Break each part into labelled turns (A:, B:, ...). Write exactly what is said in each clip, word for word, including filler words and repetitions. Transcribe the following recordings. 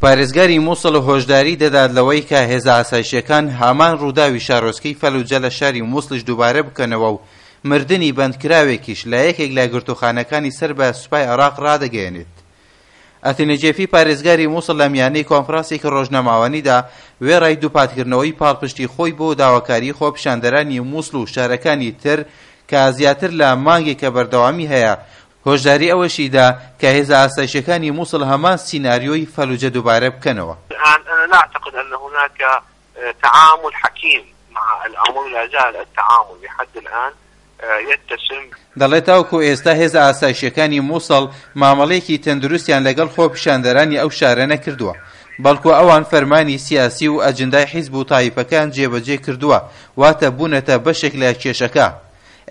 A: پارێزگاری موسڵ هۆشداری دەدات لەوەی کە هێزە ئاسایشیەکان هەمان ڕووداوی شارۆچکەی فەلوجە لە شاری موسڵیش دووبارە بکەنەوە و مردنی بەندکراوێکیش لە یەکێک لە گرتوخانەکانی سەر بە سوپای عێراق ڕادەگەیەنێت. ئەتین نوجێفی پارێزگاری موسڵ لە میانەی کۆنفرانسێکی ڕۆژنامەوانیدا وێڕای دووپاتکردنەوەی پاڵپشتی خۆی بۆ داواکاری خۆپیشاندەرانی موسڵ و شارەکانی تر کە زیاتر لە مانگێکە بەردەوامی هەیە، هۆشداری ئەوەشی دا کە هێزە ئاسایشیەکانی موسڵ هەمان سیناریۆی فەلوجە دووبارە بکەنەوە.
B: الآن أنا لا أعتقد أن هناك تعامل حكيم مع الأمر، لا زال التعامل لحد الآن يتسم.
A: دەڵێت تاوەکو ئێستا هێزە ئاسایشیەکانی موسڵ مامەڵەیەکی تەندروستیان لەگەڵ خۆپیشاندەرانی ئەو شارە نەکردووە، بەڵکو ئەوان فەرمانی سیاسی و ئەجندای حیزب و تایفەکان جێبەجێ کردووە، واتە بوونەتە بەشێک لە کێشەکە.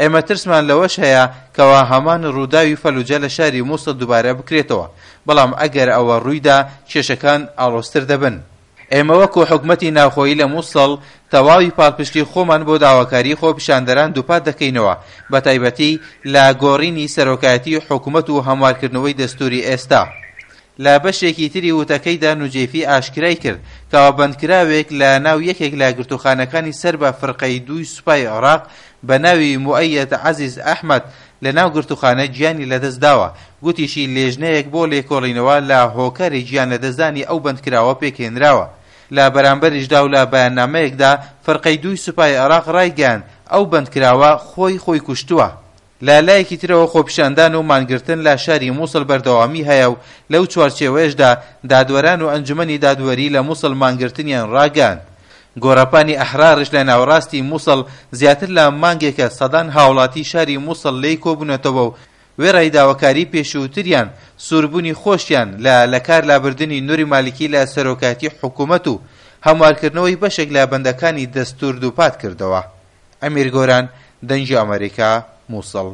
A: ئێمە ترسمان لەوەش هەیە کەوا هەمان ڕووداوی فەلوجە لە شاری موسڵ دووبارە بکرێتەوە، بەڵام ئەگەر ئەوە ڕوویدا کێشەکان ئاڵۆزتر دەبن. ئێمە وەکو حکومەتی ناوخۆیی لە موسڵ تەواوی پاڵپشتی خۆمان بۆ داواکاری خۆپیشاندەران دووپات دەکەینەوە، بە تایبەتی لە گۆڕینی سەرۆکایەتی حکومەت و هەموارکردنەوەی دەستوری ئێستا. لە بەشێکی تری وتەکەیدا نوجێفی ئاشکرای کرد کەوا بەندکراوێک لە ناو یەکێک لە گرتوخانەکانی سەر بە فرقەی دووی سوپای عێراق بە ناوی موئەیەد عەزیز ئەحمەد لە ناو گرتوخانە گیانی لەدەست داوە، گوتیشی لێژنەیەک بۆ لێکۆڵینەوە لە هۆکاری گیان لەدەستدانی ئەو بەندکراوە پێکهێنراوە. لە بەرامبەریشدا و لە بەیاننامەیەکدا فرقەی دووی سوپای عێراق ڕایگەیاند ئەو بەندکراوە خۆی خۆی کوشتووە. لە لایەکی ترەوە خۆپیشاندان و مانگرتن لە شاری موسڵ بەردەوامی هەیە و لەو چوارچێوەیەشدا دادوەران و ئەنجومەنی دادوەری لە موسڵ مانگرتنیان ڕاگەیاند. گۆڕەپانی ئەحرارش لە ناوەڕاستی موسڵ زیاتر لە مانگێکە سەدان هاوڵاتی شاری موسڵ لێی کۆبوونەتەوە و وێڕای داواکاری پێشووتریان سووربوونی خۆشیان لە لەکار لابردنی نوری مالکی لە سەرۆکایەتی حکوومەت و هەموارکردنەوەی بەشێک لە بەندەکانی دەستوور دووپات کردەوە. ئەمیر گۆران، دەنگی ئەمەریکا، موسڵ.